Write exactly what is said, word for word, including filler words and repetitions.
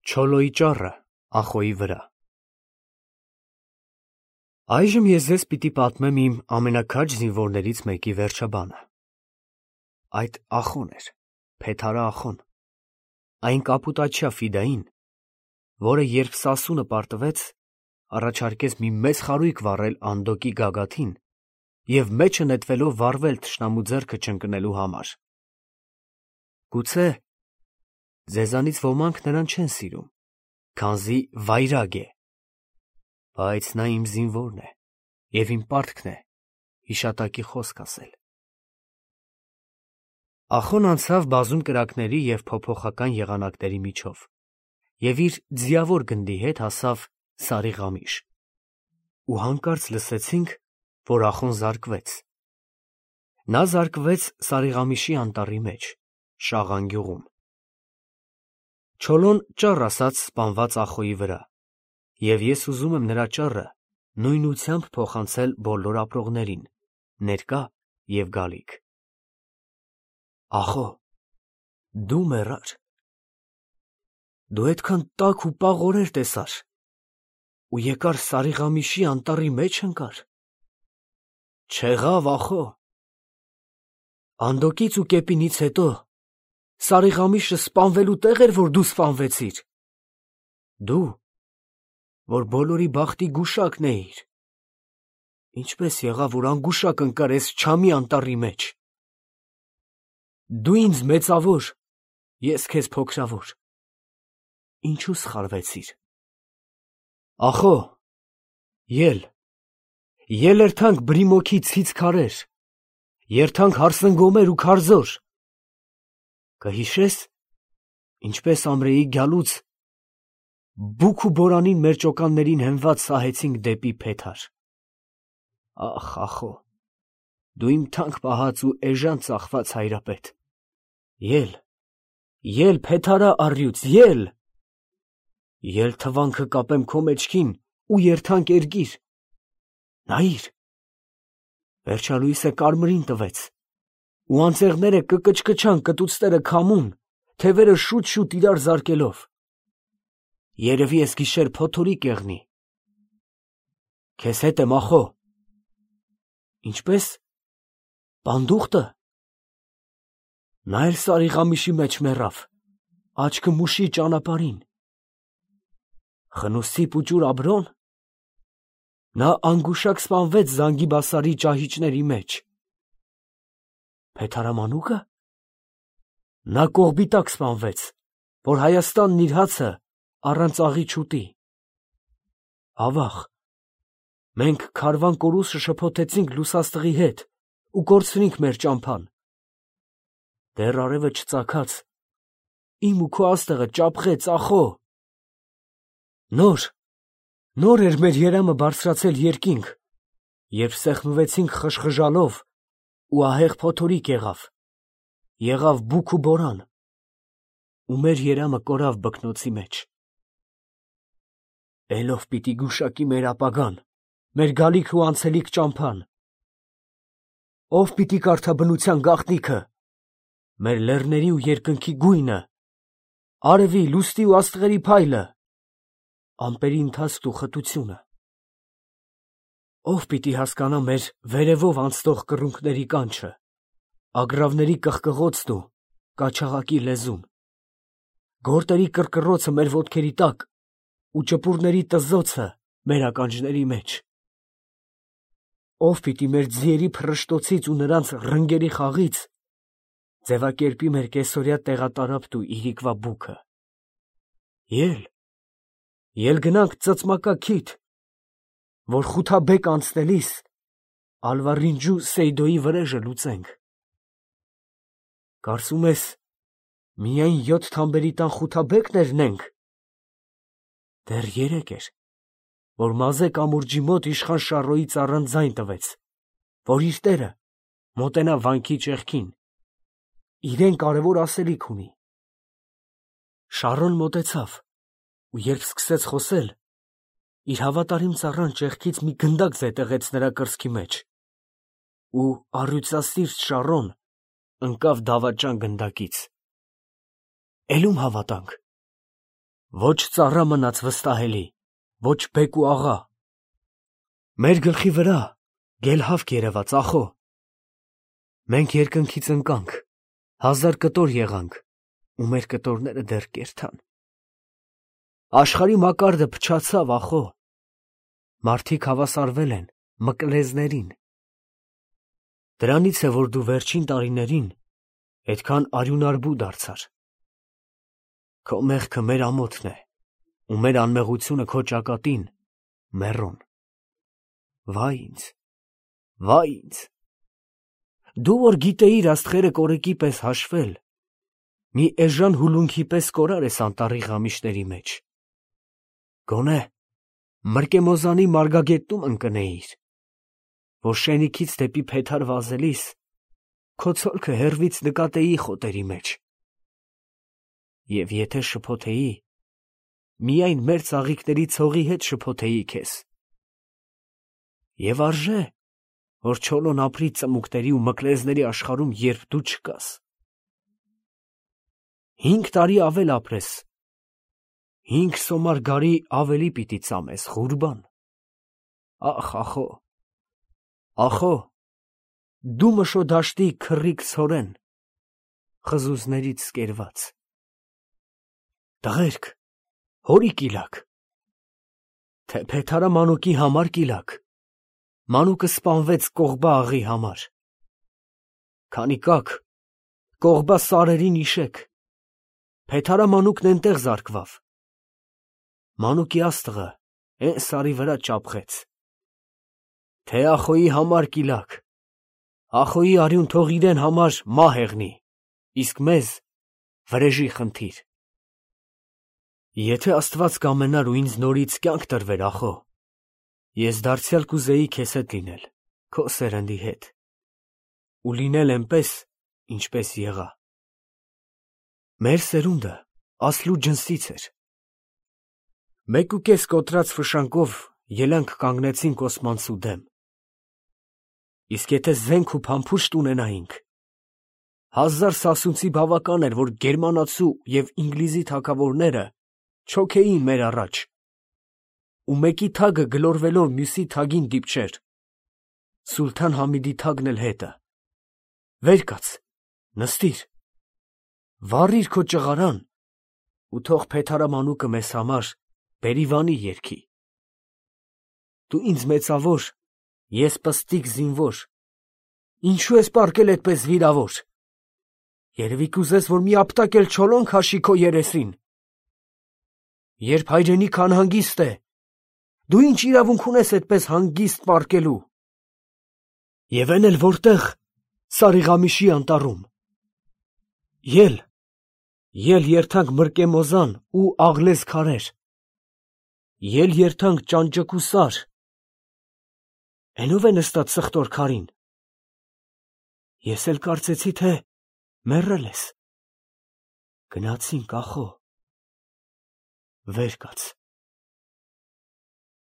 Չոլոյի ճառը ախոյի վրա։ Այժմ ես ձեզ պիտի պատմեմ իմ ամենաքաջ զինվորներից մեկի վերջաբանը։ Այդ ախոն էր, Փեթարա ախոն, այն կապուտաչյա ֆիդային, որը երբ Սասունը պարտվեց, առաջարկեց մի մեծ խարույկ վառել Անդոկի գագաթին և մեջը նետվելով վառվել թշնամու ձեռքը չընկնելու համար։ Գուցե ձեզանից ոմանք նրան չեն սիրում, քանզի վայրագ է, բայց նա իմ զինվորն է, և իմ պարտքն է հիշատակի խոսք ասել։ Ախոն անցավ բազում կրակների և փոփոխական եղանակների միջով և իր ձիավոր գնդի հետ հասավ Սարիղամիշ, ու հանկարծ լսեցինք, որ Ախոն զարկվեց։ Նա զարկվեց Սարիղամիշի անտառի մեջ, Շաղան գյուղում։ Չոլոն ճառ ասաց սպանված Ախոյի վրա, և ես ուզում եմ նրա ճառը նույնությամբ փոխանցել բոլոր ապրողներին, ներկա և գալիք։ Ախո, դու մեռար, դու այդքան տաք ու պաղ օրեր տեսար, ու եկար Սարիղամիշի անտառի մեջ ընկար։ Չեղավ, ախո, Անդոկից ու Կեպինից հետո Սարիղամիշը սպանվելու տեղ էր, որ դու սպանվեցիր, դու, որ բոլորի բախտի գուշակն էիր, ինչպես եղավ, որ անգուշակ ընկար էս չամի անտառի մեջ։ Դու ինձ մեծավոր, ես քեզ փոքրավոր, ինչու սխալվեցիր։ Ախո, ել, ել էրթանք բրիմոքի ցից քարեր, երթանք հարսնգոմեր ու քարզոր, կհիշես, ինչպես ամրեի գալուց բուք ու բորանին մեր ճոկաններին հենված սահեցինք դեպի Փեթար։ Ախ, ախո, դու իմ թանկ պահած ու էժան ծախված հայրապետ, ել, ել Փեթարա առյուծ, ել, ել թվանքը կապեմ քո մեջքին ու երթանք էրգիր, նայիր, վերջալույսը կարմրին տվեց, ու անձեղները կկչկչան կտուծները քամուն, թևերը շուտ-շուտ իրար զարկելով, երևի էս գիշեր փոթորիկ եղնի, քեզ հետ եմ, ախո, ինչպես, պանդուխտը, նա էլ Սարիղամիշի մեջ մեռավ, աչքը մուշի ճանապարհին, Խնուսցի պուճուր Աբրոն, նա անգուշակ սպանվեց Զանգիբասարի ճահիճների մեջ, Փեթարամանուկը, նա կողբի տակ սպանվեց, որ Հայաստանն իր հացը առանց աղի չուտի։ Ավաղ, մենք քարվան կորուսը շփոթեցինք լուսաստղի հետ ու կորցրինք մեր ճամփան։ Դեռ արևը չծագած, իմ ու քո աստղը ճապղեց, ախո։ Նոր, նոր էր մեր երամը բարձրացել երկինք, երբ սեղմվեցինք խժխժալով, ու ահեղ փոթորիկ եղավ, եղավ բուք ու բորան, ու մեր երամը կորավ բկնոցի մեջ։ Էլով պիտի գուշակի մեր ապագան, մեր գալիք ու անցելիք ճամփան։ Ով պիտի կարդա բնության գաղտնիքը, մեր լեռների ու երկնքի գույնը, արևի, լուսնի ու աստղերի փայլը, ամպերի ընթացքն ու խտությունը։ Ով պիտի հասկանա մեր վերևով անցնող կռունկների կանչը, ագռավների կղկղոցն ու կաչաղակի լեզուն, գորտերի կռկռոցը մեր ոտքերի տակ ու ճպուրների տզոցը մեր ականջների մեջ։ Ով պիտի մեր ձիերի փռշտոցից ու նրանց ռնգերի խաղից ձևակերպի մեր կեսօրյա տեղատարափն ու իրիկվա բուքը։ Ել, ել գնանք ծծմակա քիթ, որ Խութաբեկ անցնելիս Ալվարինջու Սեյդոյի վրեժը լուծենք։ Կարծում ես, միայն յոթ թամբերի տան Խութաբեկն էրնենք։ Դեռ երեկ էր, որ Մազե կամուրջի մոտ իշխան Շառոյի ծառան ձայն տվեց, որ իր տերը մոտենա վանքի ճեղքին, իրեն կարևոր ասելիք ունի։ Շառոն մոտեցավ, ու երբ սկսեց խոսել, իր հավատարիմ ծառան ճեղքից մի գնդակ զետեղեց նրա կրծքի մեջ, ու առյուծասիրտ Շառոն ընկավ դավաճան գնդակից։ Էլում հավատանք, Ոչ ծառա մնաց վստահելի, ոչ բեկ ու աղա։ Մեր գլխի վրա գելհավք երևաց ախո։ Մենք երկնքից ընկանք, հազար կտոր եղանք, ու մեր կտորները դեռ կերթան։ Աշխարհի մակարդը փչացավ ախո։ Մարդիկ հավասարվել են մկլեզներին։ Դրանից է, որ դու վերջին տարիներին այդքան արյունարբու դարձար։ Քո մեղքը մեր ամոթն է, ու մեր անմեղությունը քո ճակատին մեռոն։ Վայ ինձ, վայ ինձ։ Դու որ գիտեիր աստղերը կորեկի պես հաշվել, մի էժան հուլունքի պես կորար ես անտառի ղամիշների մեջ։ Գոնե Մրկեմոզանի մարգագետնում ընկնեիր, որ շենիքից դեպի փեթար վազելիս քո ցոլքը հեռվից նկատեի խոտերի մեջ։ Եվ եթե շփոթեի, միայն մեր ծաղիկների ցողի հետ շփոթեի քեզ։ Եվ արժե, որ Չոլոն ապրի ծմուկների ու մկլեզների աշխարհում, երբ դու չկաս։ Հինգ տարի ավել ապրես, հինգ սոմար գարի ավելի պիտի ծամես, Ղուրբան։ Ախ, ախո, ախո, դու մշո դաշտի քռիք ցորեն, խզուզներից սկերված։ Տղերք, հորի կիլակ, թե Փեթարա մանուկի համար կիլակ, մանուկը սպանվեց Կողբա աղի համար։ Քանի կաք, Կողբա սարերին իշեք, Փեթարա մանուկն էնտեղ զարկվավ։ Մանուկի աստղը էն սարի վրա ճապղեց։ Թե ախոյի համար կիլակ, ախոյի արյուն թող իրեն համար մահ եղնի, իսկ մեզ վրեժի խնդիր։ Եթե Աստված կամենար ու ինձ նորից կյանք տրվեր, ախո, ես դարձյալ կուզեի քեզ հետ լինել, քո սերնդի հետ, ու լինել այնպես, ինչպես եղա։ Մեր սերունդը ասլու ջնսից էր։ Մեկ ու կես կոտրած ֆշանկով ելանք կանգնեցինք օսմանցու դեմ։ Իսկ եթե զենք ու փամփուշտ ունենայինք, հազար սասունցի բավական էր, որ գերմանացու և ինգլիզի թագավորները չոքեին մեր առաջ, ու մեկի թագը գլորվելով մյուսի թագին դիպչեր, Սուլթան Համիդի թագն էլ հետը։ Վեր կաց, նստիր, վառիր քո ճղարան ու թող Փեթարա մանուկը մեզ համար բերիվանի երգի։ Դու ինձ մեծավոր, ես պստիկ զինվոր, ինչու ես պառկել այդպես վիրավոր։ Երևի կուզես, որ մի ապտակ էլ Չոլոն քաշի քո երեսին։ Երբ հայրենիք անհանգիստ է, դու ինչ իրավունք ունես այդպես հանգիստ պառկելու։ Եվ այն էլ որտեղ, Սարիղամիշի անտառում։ Ել, ել երթանք Մրկեմոզան ու Աղլեզ քարեր, ել երթանք ճանճկու սար։ Էնով է նստած սխտոր քարին։ Ես էլ կարծեցի, թե մեռել ես։ Գնացինք, ախո, վեր կաց։